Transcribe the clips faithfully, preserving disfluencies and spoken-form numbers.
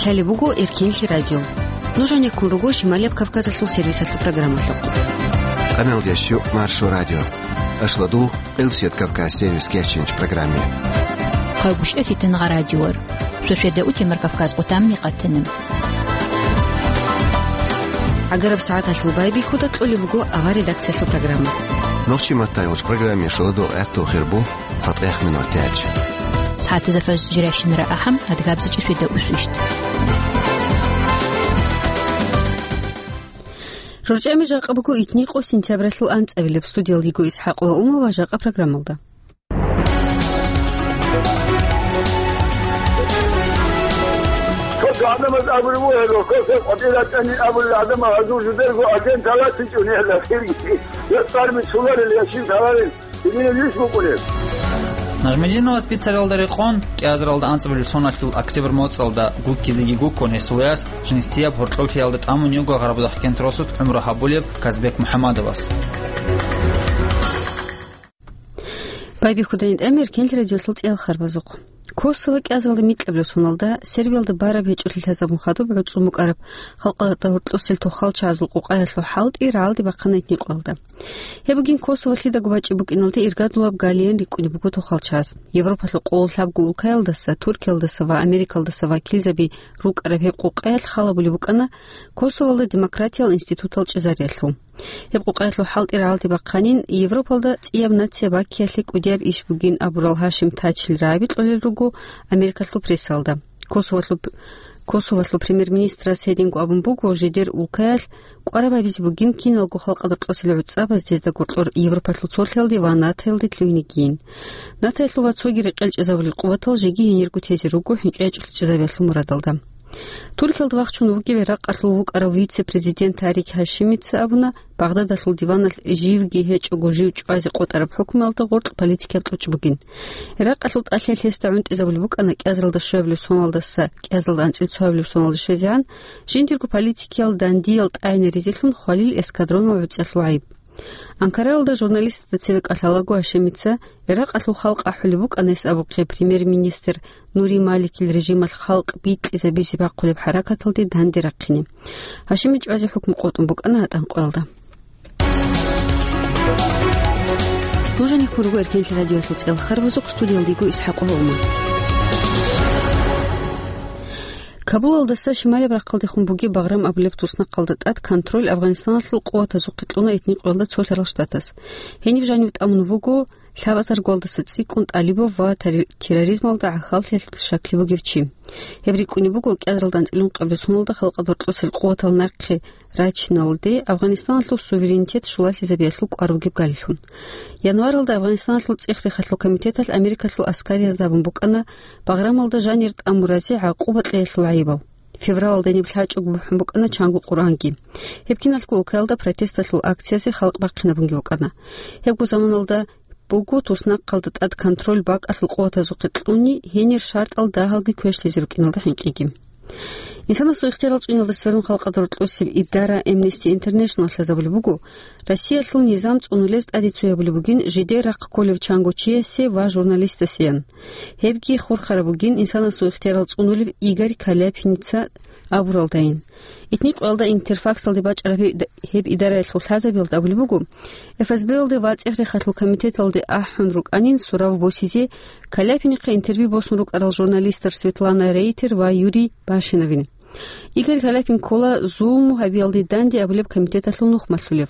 Гьале буго Эркенлъи радио. Нуж гьанеккун руго Шималияб Кавказалъул сервисалъул программалъухъ. Къаналдеш щу Маршо радио. Ашладу Къилсият Кавказ сервис кечинч программе. Хъагушев Фитнагъа радиор. Шошеда утемар Кавказ къутамни къатанам. Агараб сагӀаталъул байбихьуда кьолеб буго авар редакциялъул программа. Нохчи маттайгъуч программе шуладу гӀехту хирбу. ЦатӀех минут тяч. СагӀатазда фаж жиращинара ахӀам, адгабзичӀи свида усвищ. РорчӀами жакъа буго итникъо сентябралъул анцӀабилеб. Студиялда йиго ИсхӀакъ ва Ума ва жакъа программалда. Код гӀадамаз абулеб бугьело, косеб къватӀира тӀани абулел гӀадамал гьазур жидерго агент гьалатичӀо нигьла хирги. Я цӀар бицунарел, я щиб лъаларел. Нажмединова спицаралда рекъон, кӀиазаралда анцӀабилеб соналъул октябрь моцӀалда гуккизеги гуккун, гьесул яс жинсияб гьоркьоблъиялда тӀамун йиго Гъарабудахъ кент росулъ гӀумру гьабулеб Казбек МухӀамадовас. Байбихьудайин тӀамир кенлъи радиолъул цӀел харбазухъ. Косово кӀиазаралда микьабилеб соналда Сербиялда бараб гьечӀолъи лъазабун хадуб гӀуцӀун букӀараб халкъалда гьоркьосел тохалчагӀазул къукъаялъул хӀалтӀи рагӀалде бахъана итникъоялда. Гьеб бугин Косово лъидаго бачӀи букӀиналде иргадулаб галиян рикӀкӀунеб буго тохалчагӀаз. Европалъул къоло лъабго улкаялдаса, Туркиялдаса ва Америкалдаса вакилзаби рукӀараб гьеб къукъаялъ халабулеб букӀана Косовоялда демократиял институтал чӀезариялъул. Гьеб къукъаялъул хӀалтӀи рагӀалде бахъанин, Европалда цӀияб нация баккиялъе кӀудияб иш бугин абурал Гьашим Тачил рагӀаби кьолел руго Америкалъул прессалда. Косовалъул, Косовалъул премьер-министрас гьединго абун буго, жидер улкаялъ кӀвараб гьабизе бугин киналго халкъалда рокьосел гӀуцӀабаз дезда гуркьор Европалъул цолъиялде ва натоялде лъугьинегийин. Натоялъул ва цоги рекъел чӀезабулел къуватал жеги гьенирго тезе руго хӀинкъи гьечӀолъи чӀезабиялъул мурадалда. Туркиялда вахчун вугев Иракъалъул вукӀарав вице-президент Тарик Гьашимица абуна, Багъдадалъул диваналъ живги гьечӀого жив чӀвазе къотӀараб хӀукмуялда гъоркь политикияб кьучӀ бугин. Иракъалъул тӀалъиялъ гьесда гӀунтӀизабулеб букӀана кӀиазаралда щуабилеб соналдаса кӀиазаралда анцӀила цоабилеб соналде щвезегӀан, жиндирго политикиял дандиял тӀагӀинаризелъун хвалил эскадронал гӀуцӀиялъул гӀайиб. Анкараялда журналистазда цеве кӀалъалаго Гьашимица, Иракъалъул халкъ ахӀулеб букӀана гьес абухъе премьер-министр Нури Маликил режималъ халкъ бикьизабизе бахъулеб хӀаракаталде данде рахъине. Гьашими чӀвазе хӀукму къотӀун букӀана гьатӀан къоялда. Нуж гьанеккун руго Эркенлъи радиоялъул цӀел харбазухъ, студиялда йиго ИсхӀакъ Гьолман. Кабулалдаса шималияб рахъалдехун бугеб Багърам абулеб туснахъалда тӀад контроль Афганистаналъул къуватазухъе кьуна итникъоялда цолъарал штатас. Гьениб жанив тӀамун вуго лъабазаргуялдаса цӀикӀкӀун тӀалибав ва тари-, терроризмалда гӀахьаллъиялъул щаклъи бугев чи. Гьеб рикӀкӀунеб буго кӀиазаралда анцӀила ункъабилеб соналда халкъалда рокьосел къуватал нахъе рачиналде Афганистаналъул суверенитет щулалъизабиялъул кӀвар бугеб галилъун. Январалда Афганистаналъул цӀех-рехалъул комитеталъ Америкалъул аскариязда абун букӀана Баграмалда жанир тӀамуразе гӀакъуба кьеялъул гӀайибал. Февралалда гьениб лъачӀого бухӀун букӀана чанго Къуръанги. Гьеб киналго улкаялда протесталъул акциязе халкъ бахъинабунги букӀана. Гьебго заманалда буго туснахъалда тӀад контроль бакӀалъул къуватазухъе кьуни, гьенир шартӀал дагьалги квешлъизе рукӀиналда хӀинкъиги. Инсанасул ихтиярал цӀуниялда сверун халкъалда рокьосеб идара Amnesty International лъазабулеб буго, Россиялъул низам цӀунулез тӀаде цоябулеб бугин жидер рахъ кколев чанго чиясе ва журналистасеян. Гьебги хурхараб бугин инсанасул ихтиярал цӀунулев Игорь Каляпиница абуралдайин. Итни къоялда Интерфаксалде бачӀараб гьеб идараялъул лъазабиялда абулеб буго, ФСБ-ялде ва ЦӀех-рехалъул комитеталде ахӀун рукӀанин сурав босизе Каляпинихъе интервью босун рукӀарал журналистар Светлана Рейтер ва Юрий Башиновин. Игорь Каляпин ккола зулму гьабиялде данде абулеб комитеталъул нух малъулев.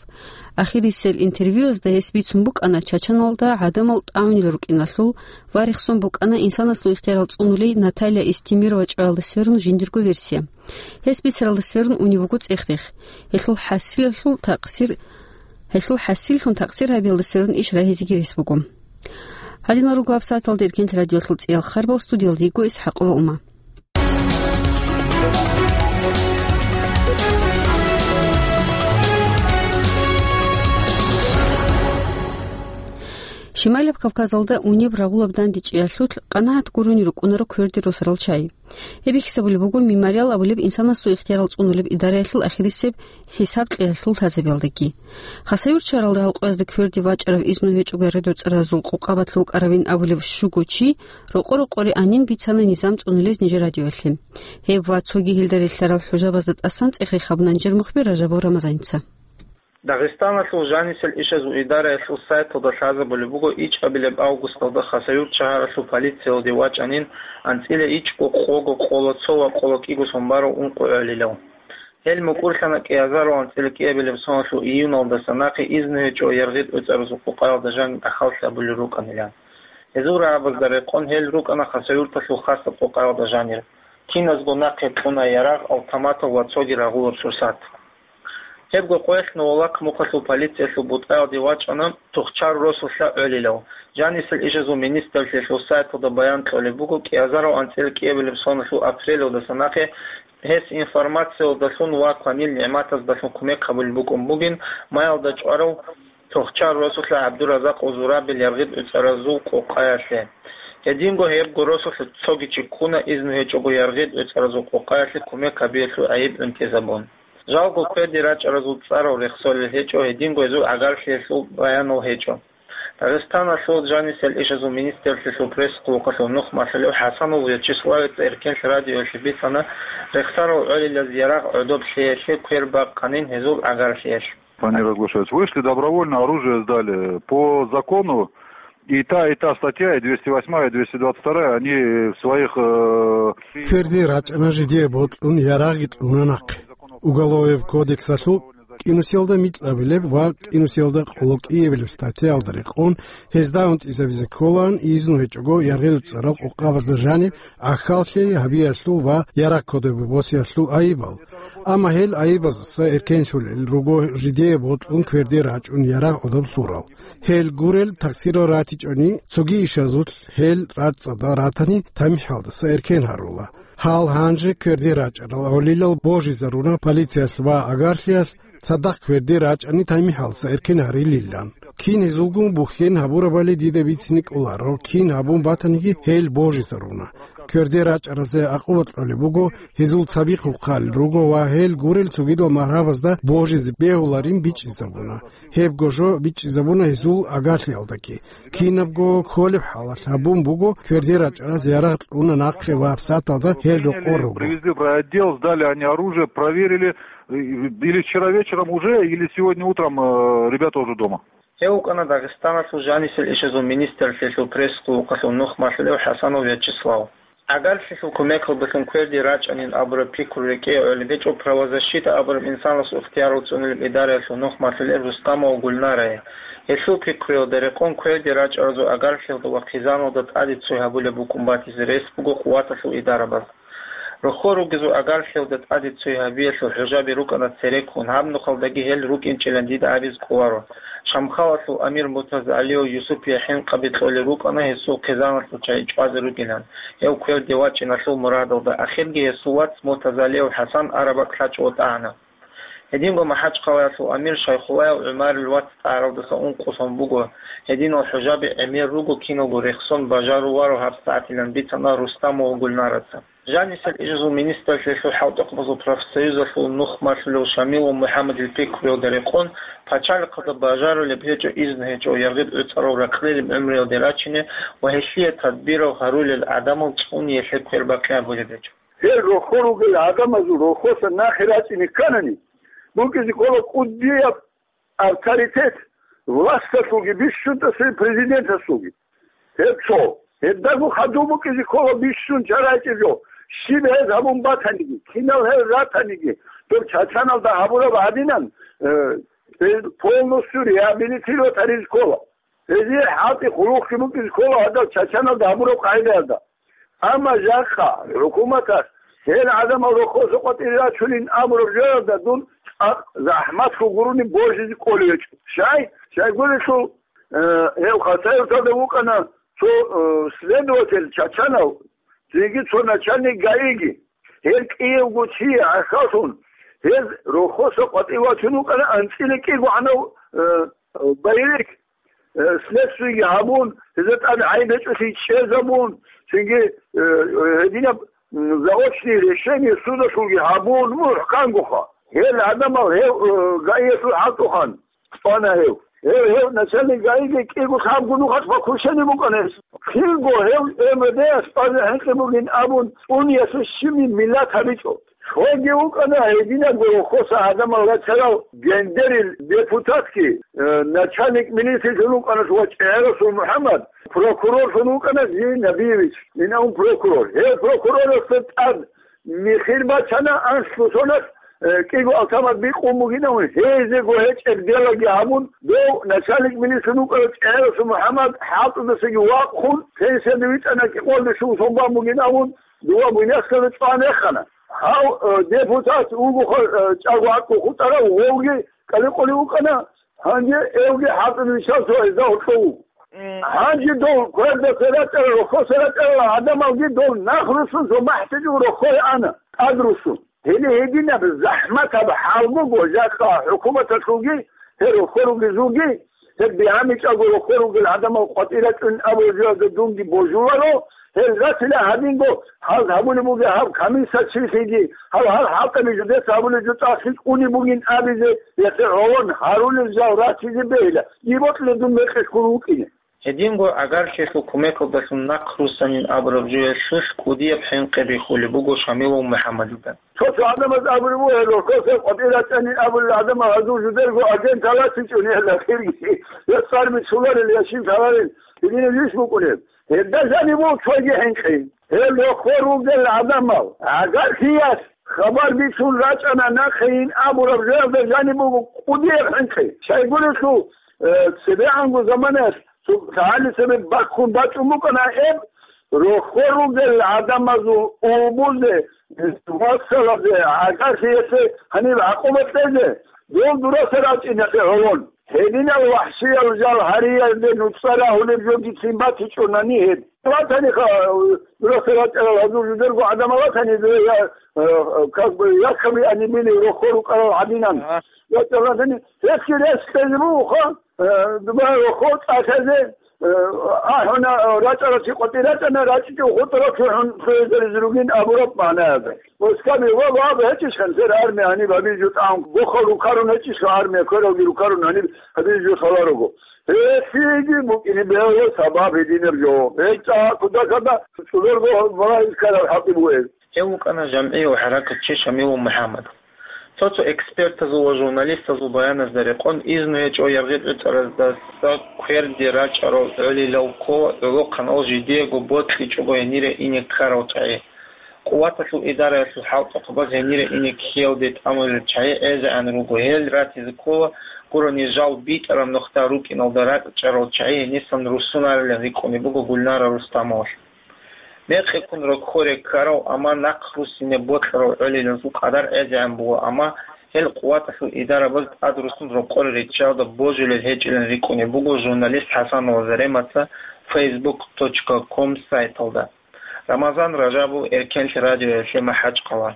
Ахирисел интервьюязда гьес бицун букӀана Чачаналда гӀадамал тӀагӀунел рукӀиналъул ва рехсон букӀана инсанасул ихтиярал цӀунулей Наталья Истемирова чӀваялда сверун жиндирго версия. Гьес бицаралда сверун унев вуго цӀех-рех. Гьелъул хӀасилалъул такъсир, гьелъул хӀасиллъун такъсир гьабиялда сверун иш рагьизеги рес буго. Гьадинал руго гьабсагӀаталда Эркенлъи радиолъул цӀиял харбал, студиялда йиго ИсхӀакъова Ума. Шималаб Кавказалда унеб рагъулаб дандечӀеялъулъ къанагӀат гурони рукӀунаро кверде росарал чагӀи. Гьеб бихьизабулеб буго «Мемориал» абулеб инсанасул ихтиярал цӀунулеб идараялъул ахирисеб хӀисаб кьеялъул лъазабиялдаги. Хасавюрт шагьаралда гьалкъоязда кверде вачӀарав изну гьечӀого яргъи-дуцӀаразул къокъабалъ вукӀаравин абулев щуго чи рокъо-рокъоре анин бицана низам цӀунулез нижер радиоялъе. Гьеб ва цоги гьелда релълъарал хӀужабазда тӀасан цӀех рехабуна нижер мухбир Ражабов Рамазаница. Дагъистаналъул жанисел ишазул идараялъул сайталда лъазабулеб буго ичӀабилеб августалда Хасавюрт шагьаралъул полициялде вачӀанин анцӀила ичӀго къого къоло цо ва къоло кӀиго сон барав ункъо гӀолилав. Гьел мукӀурлъана кӀиазарав анцӀила кӀиабилеб соналъул июналдаса нахъе изну гьечӀо яргъи-дуцӀаразул къокъаялда жаниб ахаллъи гьабулел рукӀанилан. Гьезул рагӀабазда рекъон гьел рукӀана Хасавюрталъул хасаб къокъаялда жанир. Киназго нахъе кьуна ярагъ, автоматал ва цоги рагъулаб сурсат. Гьебго къоялъ Новолакмухъалъул полициялъул бутӀаялде вачӀана Тухчар росулъа гӀолилав. Жанисел ишазул министрлъиялъул сайталда баян кьолеб буго, кӀиазарав анцӀила кӀиабилеб соналъул апрелалдаса нахъе гьес информациялдалъун ва кванил нигӀматаздалъун кумек гьабулеб букӀун бугин, маялда чӀварав Тухчар росулъа ГӀабдуразакъ Узурабил яргъи-дуцӀаразул къокъаялъе. Гьединго гьебго росулъа цоги чи ккуна изну гьечӀого яргъи-дуцӀаразул къокъаялъе кумек гьабиялъул гӀайиб унтизабун. Жалго кверде рачӀаразул цӀарал рехсолел гьечӀо, гьединго гьезул гӀагарлъиялъул баянал гьечӀо. Дагъистаналъул жанисел ишазул министрлъиялъул пресс-клубалъул нухмалъулев ХӀасанов Вячеславица Эркенлъ радиоялъе бицана, рехсарал гӀолилаз ярагъ гӀодоб лъеялъе квер бакъанин гьезул гӀагарлъиялъ. Они разглашаются. Вышли добровольно, оружие сдали. По закону и та, и та статья, и двести восьмая, и двести двадцать вторая, они в своих, э, Кверде рачӀана жидее бокьун ярагъги кьуна нахъе. Уголовый кодексалъул кӀинусиялда микьабилеб ва кӀинусиялда къоло кӀиабилеб статьяялда рекъон, гьезда унтӀизабизе кколаан изну гьечӀого яргъи-дуцӀарал къокъабазда жаниб ахаллъи гьабиялъул ва ярагъ кодобе босиялъул айибал. Амма гьел айибаздаса эркенлъулел руго жидее бокьун кверде рачӀун ярагъ гӀодоб лъурал. Гьел гурел такъсирал ратичӀони, цоги ишазулъ гьел рацӀцӀадал ратани тамихӀалдаса эркен гьарула. Гьал гьанже кверде рачӀарал гӀолилал божизаруна полициялъ ва агарлъиялъ цадахъ кверде рачӀани тамихӀалдаса эркен гьарилилан. Кин гьезулгун бухьен гьабурабали дида бицине кӀоларо, кин гьабун батаниги гьел божизаруна. Кверде рачӀаразе акъуба кьолеб буго, гьезул цаби хъухъал руго ва гьел гурел цогидал магьрабазда божизе бегьуларин бичӀчӀизабуна. Гьебго жо бичӀчӀизабуна гьезул агарлъиялдаги. Кинабго кколеб хӀалалъ гьабун буго, кверде рачӀараз ярагъ кьуна нахъе ва гьабсагӀаталда гьел рокъор руго. Привезли в райотдел, сдали они оружие, проверили, э, или вчера вечером уже, или сегодня утром, э, ребята уже дома. Гьев вукӀана Дагъистаналъул жанисел ишазул министрлъиялъул пресс-клубалъул нухмалъулев ХӀасанов Вячеслав. ГӀагарлъиялъул кумекалдалъун кверде рачӀанин абураб пикру рекӀее гӀолеб гьечӀо правозащита абураб инсанасул ихтиярал цӀунулеб идараялъул нухмалъулел Рустамова Гульнарае. Гьелъул пикруялда рекъон кверде рачӀаразул агарлъиялда ва хъизаналда тӀаде цой гьабулеб букӀун батизе рес буго къуваталъул идарабаз. Рохьо ругезул агарлъиялда тӀаде цой гьабиялъул хӀужаби рукӀана цереккун, гьаб нухалдаги гьел рукӀинчӀилан дида абизе кӀоларо. Шамхалалъул амир Муртазалиев Юсупие хӀинкъаби кьолел рукӀана гьесул хъизаналъул чагӀи чӀвазе ругилан, гьев кверде вачӀиналъул мурадалда, ахирги гьесул вац Муртазалиев ХӀасан араб бакӀ лъачӀого тӀагӀана. Гьединго МахӀачхъалаялъул амир Шайхуллаев ГӀумарил вац тӀагӀаралдаса ункъо сон буго, гьединал хӀужаби гӀемер руго киналго рехсон бажаруларо гьабсагӀатилан бицана Рустамова Гульнараца. Жанисел ишазул министрлъиялъул хӀалтӀухъабазул профсоюзалъул нухмалъулев Шамилов МухӀаммадил пикруялда рекъон, пачалихъалда бажарулеб гьечӀо, изну гьечӀо яргъи-дуцӀарал ракълилеб гӀумруялде рачине ва гьелъие тадбирал гьарулел гӀадамал цӀуниялъе квербакъи гьабулеб гьечӀо. Гьел рохьо ругел гӀадамазул рохьоса нахъе рачӀине кканани, букӀизе ккола кӀудияб авторитет власталъулги бищунтӀасей президентасулги. Гьеб цо. Гьебдаго хадуб букӀизе ккола бищун чарайчӀеб жо. Щиб гьез гьабун батаниги, кинал гьел ратаниги, доб Чачаналда гьабураб гьадинан, э, гьез полностью реабилитировать гьаризе ккола. Гьезие хӀалтӀи хъулухъги букӀизе ккола гьадал Чачаналда гьабураб къагӀидаялда. Амма жакъа хӀукуматалъ гьел гӀадамал рохоса къватӀире рачунин абураб жоялда дун цӀакъ захӀматлъун гурони божизе кколев гьечӀо. Щай? Щайгурелъул, э, гьев Хасавюрталда вукӀана цо, э, следователь чачанав, цинги цо начальник ГАИги. Гьел кӀиявго чияс гӀахьаллъун, гьез рохоса къватӀив вачун вукӀана анцӀила кӀигогӀанав, э, боевик. э, следствиеги гьабун, гьезда тӀад гӀайиб гьечӀолъи чӀезабун, цинги, э, гьединаб, м, заочный решение судалъулги гьабун, мухӀкангоха. Гьел гӀадамал гьев, э, ГАИялъул хӀалтӀухъан цӀана гьев. Гьев, гьев начальник ГАИги кӀиго лъабго нухалъ покушение букӀана гьес. Кинго гьев МВД-яс базе хӀинкъи бугин абун, цӀуниялъе щибни миллат гьабичӀо. Цоги вукӀана гьединабго рохоса гӀадамал рачарал Гендерил депутатги, э, начальник милициялъул вукӀана ва ЧӀегӀерасул МухӀаммад, прокурорлъун вукӀана Зинабиевич, инавун прокурор. Гьев прокурорасда тӀад михир бачана анлъго соналъ, э, кӀиго автомат бикъун бугинавун, гьезего гьечӀеб делаги гьабун, дов начальник милициялъул вукӀана ЧӀегӀерасул МухӀаммад хӀалтӀудасаги вахъун, пенсияда витӀана, кӀикъоялде щун сон бан бугинавун, дова Буйнакскалда чӀван рехана. Гьав, э, депутат вуго, э, чӀаго гӀакъу хутӀарав, вовги кӀаликъулев вукӀана, гьанже эвги хӀалтӀуда виччан цо гьезда гьоркьов вуго. Гьанже дов квердаса рачӀарал, рохоса рачӀарал гӀадамалги дов нахъ руссун цо махӀтӀичӀого рохое ана, тӀад руссун. Гьеле гьединаб захӀматаб хӀал буго, жакъа хӀукуматалъулги, гьел рохор ругезулги, гьеб бигьаничӀого рохор ругел гӀадамал къватӀир рачӀун абураб жоялда дунги божуларо, гьел ратила гьадинго, гьаз гьабулеб бугеб гьаб комиссар чилъиги, гьав гьал хӀалтӀаби жидеца гьабулеб жо тӀахъи кӀунеб бугин абизе, яхъе гӀолон гьарулел жал ратизе бегьила, дие бокьулеб дун мекъи ккун вукӀине. Гьединго гӀагарлъиялъул кумекалдалъун нахъ руссанин абураб жоялъулъ кӀудияб хӀинкъи бихьулеб буго Шамилов МухӀаммадида. Цо-цо гӀадамаз абулеб буго, гьел рохоса къватӀир рачӀанин абулел гӀадамал гьазул жидерго агентал ратичӀони гьел ахирги, я цӀар бицунарел, я щиб лъаларел, гьединаб иш букӀунеб. Гьелда жаниб буго цоги хӀинкъи. Гьел рохор ругел гӀадамал гӀагарлъиялъ хабар бицун рачӀана нахъейин абураб жоялда жаниб буго кӀудияб хӀинкъи. Щайгурелъул, э, цебегӀанго заманаялъ цо лъагӀалиса баккун бачӀун букӀана гьеб, рохор ругел гӀадамазул убузе, вассалазе, гӀагарлъиялъе гьаниб гӀакъуба кьезе, дол дураса рачӀиналъе гӀолон. Гьединал вахӀшиял жал гьариялде нуцӀа рагьулеб жо гицин батичӀунани гьеб. Ватаниха, дураса рачӀарал гьазул жидерго гӀадамал ватани, я, э, как бы, якаби анибили рохор рукӀарал гӀадинан. Ага. ВатӀа ватани, гьесги рес кьезе бугоха, э, дуба рохо тӀалъазе, э, ахӀуна, э, рачӀаралъи къватӀир рачӀана, рачӀичӀев хутӀарал цо хӀун цоязаризе ругин абураб магӀнаялда. Оскаби ва, ва, гьечӀищ хансер армия гьаниб гьабизе жо тӀагӀун, бохал рукарун гьечӀищ армия, квералги рукарун гьаниб гьабизе жо лъаларого. Гьесиги букӀине бегьула сабаб гьединаб жо. ГьечӀа кудакада цӀудерго балагьи ккараб хӀакъи бугеб. Гьев вукӀана жамгӀияв хӀаракатчи Шамилов МухӀаммад. Цо-цо экспертазул ва журналистазул баяназда рекъон, изну гьечӀо яргъи-бӀицӀараздаса кверде рачӀарал гӀолилал ккола гӀолохъанал жидеего бокьичӀого гьенире ине ккарал чагӀи. Къуваталъул идараялъул хӀалтӀухъабаз гьенире ине ккеялде тӀамулел чагӀи гӀезегӀан руго, гьел ратизе ккола гурони жал битӀараб нухда рукӀиналда рачӀарал чагӀи гьенисан руссунарилан рикӀкӀунеб буго Гульнара Рустамовалъ. Мекъиккун рокоре ккарав, амма нахъ руссине бокьарав гӀолилазул къадар гӀезегӀан буго, амма гьел къуваталъул идарабаз тӀад руссун рокъоре риччалда божулел гьечӀилан рикӀкӀунеб буго журналист ХӀасанова Заремаца фейсбук точка ком сайталда. Рамазан Ражабов, Эркенлъи радиоялъе МахӀачкъала.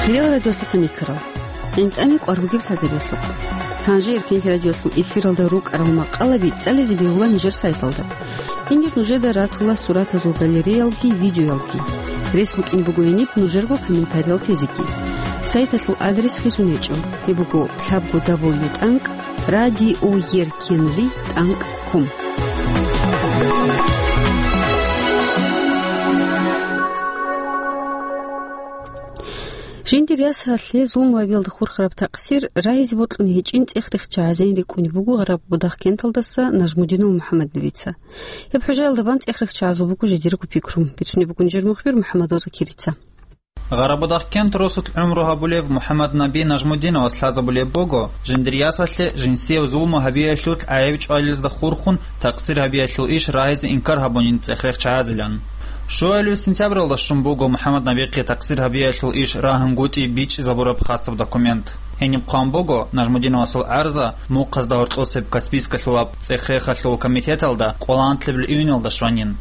Хириял радиолъухъ никарал. ГӀинтӀами кӀвар бугеб лъазабиялъухъ. Гьанже Эркенлъи радиолъул эфиралда рукӀарал макъалаби цӀализе бегьула нижер сайталда. Гьенир нужеда ратула суратазул галереялги, видеоялги. Рес букӀин буго гьениб нужерго комментариял тезеги. Сайталъул адрес хисун гьечӀо. Гьеб буго лъабго дабл ю тӀанкӀ радиоеркенлъи тӀанкӀ ком. Жиндир ясалъе зулмугьабиялда хурхараб такъсир рагьизе бокьун гьечӀин цӀех-рех чагӀазейин рикӀкӀунеб буго Гъарабудагъ кенталдаса Нажмудинов МухӀаммаднабица. Гьеб хӀужаялда бан цӀех-рех чагӀазул буго жидерго пикру, бицунеб бугун жер мухбир МухӀаммад Ваза Кирица. Гъарабудагъ кент росулъ гӀумру гьабулев МухӀаммаднаби Нажмудиновас лъазабулеб буго, жиндир ясалъе жинсияб зулму гьабиялъул гӀайиб чӀвалилазда хурхун, такъсир гьабиялъул иш рагьизе инкар гьабунин цӀех-рех чагӀазилан. Щуалев сентябралда щун буго МухӀаммаднабихъе такъсир гьабиялъул иш рагьунгутӀи бичӀчӀизабураб хасаб документ. Гьениб хъван буго, Нажмудиновасул гӀарза мухъазда гьоркьосеб Каспийскалъулаб цӀех-рехалъул комитеталда къоланлъабил июньалда щванин.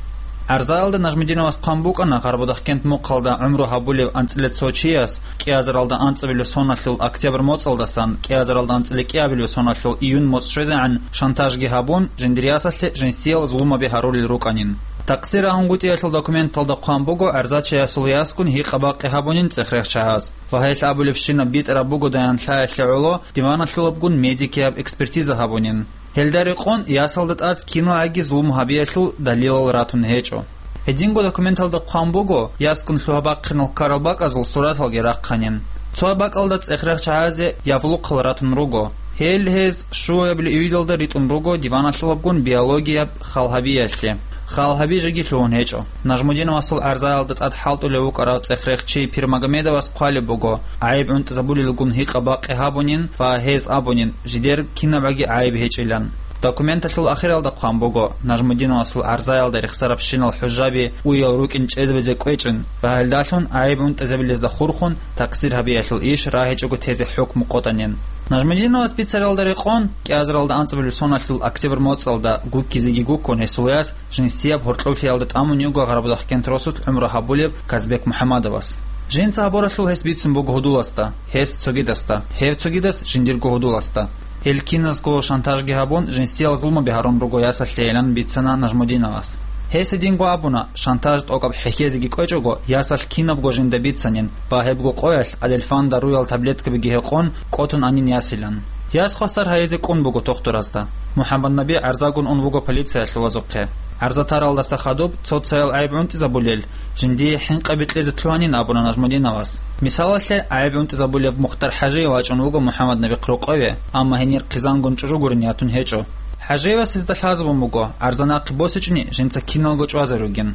ГӀарзаялда Нажмудиновас хъван букӀана Гъарбудахъкент мухъалда гӀумру гьабулев анцӀила цо чияс кӀиазаралда анцӀабилев соналъул октябрь моцӀалдасан кӀиазаралда анцӀила кӀиабилев соналъул июнь моцӀ щвезегӀан шантажги гьабун, жиндир ясалъе жинсиял зулмаби гьарулел рукӀанин. Такъсир рагьунгутӀиялъул документалда хъван буго гӀарзачиясул ясгун гьикъа-бакъи гьабунин цӀехрехъ чагӀаз. Ва гьелъ абулебщинаб битӀараб бугодаян лъаялъе гӀоло диваналъулабгун медикияб экспертиза гьабунин. Гьелда рекъон ясалда тӀад киналгӀаги зулму гьабиялъул далилал ратун гьечӀо. Гьединго документалда хъван буго, ясгун лъугьа-бахъинал ккарал бакӀазул сураталги рахъанин. Цо бакӀалда цӀехрехъ чагӀазе явлухъал ратун руго. Гьел гьез щуабилеб июлалда ритӀун руго диваналъулабгун биологияб хал гьабиялъе. Хал гьаби жеги лъугьун гьечӀо. Нажмудиновасул гӀарзаялда тӀад хӀалтӀулев вукӀарав цӀехрехъ чи Пирмагомедовас хъвалеб буго, гӀайиб гӀунтӀизабулелгун гьикъа-бакъи гьабунин ва гьез абунин, жидер кинабгӀаги гӀайиб гьечӀилан. Документалъул ахиралда хъван буго, Нажмудиновасул гӀарзаялда рехсарабщинал хӀужаби уял рукӀин чӀезабизе кӀвечӀин ва гьелдалъун гӀайиб гӀунтӀизабилезда хурхун такъсир гьабиялъул иш рагьичӀого тезе хӀукму къотӀанин. Нажмудиновас бицаралда рекъон, кӀиазаралда анцӀабилеб соналъул октябрь моцӀалда гуккизеги гуккун гьесул яс жинсияб гьоркьоблъиялда тӀамун йиго Гъарабудахъкент росулъ гӀумру гьабулев Казбек МухӀамадовас. Жинца гьабуралъул гьес бицун буго гьудуласда, гьес цогидасда, гьев цогидас жиндирго гьудуласда. Гьел киназго шантажги гьабун, жинсиял зулмаби гьарун руго ясалъейилан бицана Нажмудиновас. Гьес гьединго абуна, шантаж тӀокӀаб хӀехьезеги кӀвечӀого, ясалъ кинабго жинда бицанин ва гьебго къоялъ адельфан даруял таблеткабиги гьекъон, кӀотун анин ясилан. Яс хвасар гьайизе кӀун буго тухтуразда. МухӀаммаднаби гӀарзагун ун вуго полициялъул вазухъе. ГӀарза таралдаса хадуб, цо-цоял гӀайиб гӀунтӀизабулел, жиндие хӀинкъаби кьезе лъугьанин абуна Нажмудиновас. Мисалалъе, гӀайиб гӀунтӀизабулев Мухтар ХӀажиев вачӀун вуго МухӀаммаднабихъ рокъове, амма гьенир хъизангун чӀужугурин ятун гьечӀо. ХӀажиевас гьезда лъазабун буго, гӀарза нахъе босичӀони жинца киналго чӀвазе ругин.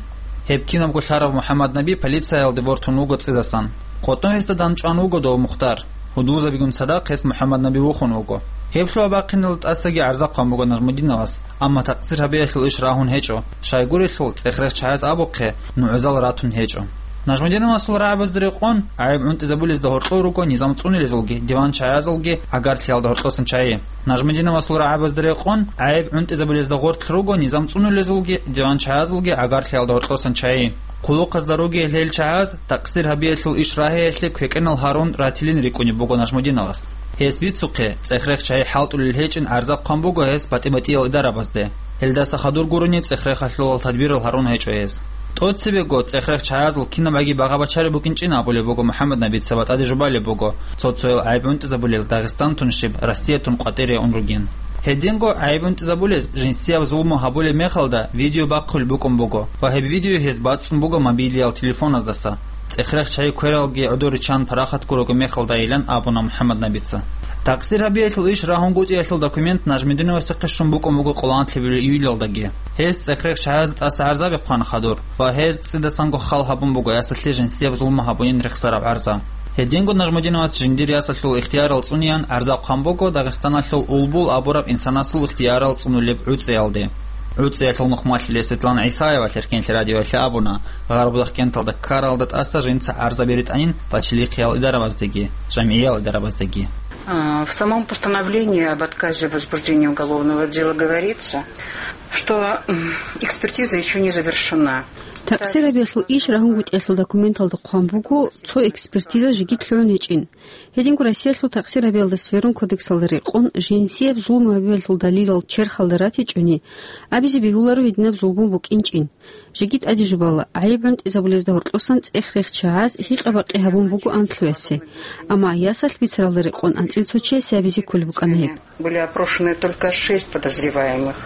Гьеб кинабго лъарав МухӀаммаднаби полициялде вортун вуго цӀидасан. КъотӀо гьесда данчӀван вуго дов Мухтар. Гьудулзабигун цадахъ гьес МухӀаммаднаби вухун вуго. Гьеб лъугьа-бахъинал тӀасаги гӀарза хъван буго Нажмудиновас, амма такъсир гьабиялъул иш рагьун гьечӀо, щайгурелъул цӀехрехъ чагӀаз абухъе, нугӀзал ратун гьечӀо. Нажмудиновасул рагӀабазда рекъон, гӀайиб гӀунтӀизабулезда гьоркьор руго низам цӀунулезулги, диван чагӀазулги гӀагарлъиялда гьоркьосан чагӀи. Нажмудиновасул рагӀабазда рекъон, гӀайиб гӀунтӀизабулезда гъорлъ руго низам цӀунулезулги, диван чагӀазулги гӀагарлъиялда гьоркьосан чагӀи. Хъулухъазда ругел гьел чагӀаз такъсир гьабиялъул иш рагьиялъе квекӀенал гьарун ратилин рикӀкӀунеб буго Нажмудиновас. Гьес бицухъе, цӀехрехъ чагӀи хӀалтӀулел гьечӀин гӀарза хъван буго гьес батӀи-батӀиял идарабазде. Гьелдаса хадур гурони цӀехрехъалъулал тадбирал гьарун гьечӀо гьес. ТӀоцебего цӀехрехъ чагӀазул кинабгӀаги багъа-бачараб букӀинчӀин абулеб буго МухӀаммаднабица ва тӀаде жубалеб буго, цо-цоял гӀайиб гӀунтӀизабулел Дагъистантун щиб, Россиятун къватӀире ун ругин. Гьединго гӀайиб гӀунтӀизабулез жинсияб зулму гьабулеб мехалда видео бахъулеб букӀун буго ва гьеб видео гьез бацӀцӀун буго мобилиял телефоназдаса. ЦӀехрехъ чагӀи квералги гӀодор риччан парахат гурого мехалдайилан абуна МухӀаммаднабица. Такъсир гьабиялъул иш рагьунгутӀиялъул документ Нажмудиновасухъе щун букӀун буго къоло анлъабилеб июлалдаги. Гьес цӀехрехъ чагӀазда тӀаса гӀарзаби хъвана хадур ва гьез цӀидасанго хал гьабун буго ясалъе жинсияб зулму гьабунин рехсараб гӀарза. Гьединго Нажмудиновас жиндир ясалъул ихтиярал цӀунеян гӀарза хъван буго Дагъистаналъул Улбул абураб инсанасул ихтиярал цӀунулеб гӀуцӀиялде. ГӀуцӀиялъул нухмалъиле Светлана ГӀисаева Лъеркенлъи радиоялъе абуна, Гъарбудахъкенталда ккаралда тӀаса жинца гӀарзаби ритӀанин бачилихъиял идарабаздеги, жамгӀиял идарабаздеги. А, в самом постановлении об отказе в возбуждении уголовного дела говорится, что, м, экспертиза ещё не завершена. Такъсир гьабиялъул иш рагьунгутӀиялъул документалда хъван буго, цо экспертиза жеги лъугӀун гьечӀин. Гьединго Россиялъул такъсир гьабиялда сверун кодексалда рекъон, жинсияб зулму гьабиялъул далилал черхалда ратичӀони, абизе бегьуларо гьединаб зулму букӀинчӀин. Жеги тӀаде жубала, гӀайиб гӀунтӀизабулезда гьоркьосан цӀехрехъ чагӀаз гьикъа-бакъи гьабун буго анлъуясе. Амма ясалъ бицаралда рекъон анцӀил цо чиясе абизе кколеб букӀана гьеб. Были опрошены только шесть подозреваемых,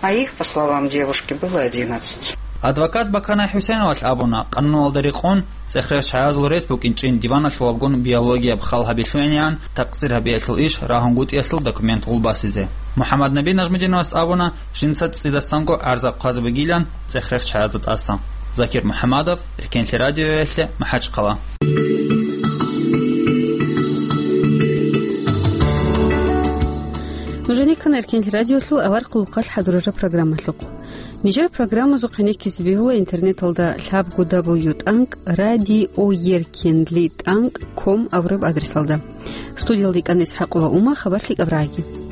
а их, по словам девушки, было одиннадцать. Адвокат Баканай ХӀусейновалъ абуна, къануналда рекъон, цӀехрехъ чагӀазул рес букӀинчӀин диваналъулабгун биологияб хал гьаби лъугӀинегӀан такъсир гьабиялъул иш рагьунгутӀиялъул документ гъулбасизе. МухӀаммаднаби Нажмудиновас абуна, жинца цӀидасанго гӀарза хъвазабигилан цӀехрехъ чагӀазда тӀаса. Закир МухӀаммадов, Эркенлъи радиоялъе, МахӀачхъала. Нуж гьенеккана Эркенлъи радиолъул авар хъулухъалъ хӀадурараб программалъухъ. Нижер программазухъ гьенеккизе бегьула интернеталда лъабго дабл ю тӀанкӀ радиоеркенлъи тӀанкӀ ком абураб адресалда. Студиялда икӀана ИсхӀакъова Ума, хабар лъикӀаб рагӀаги.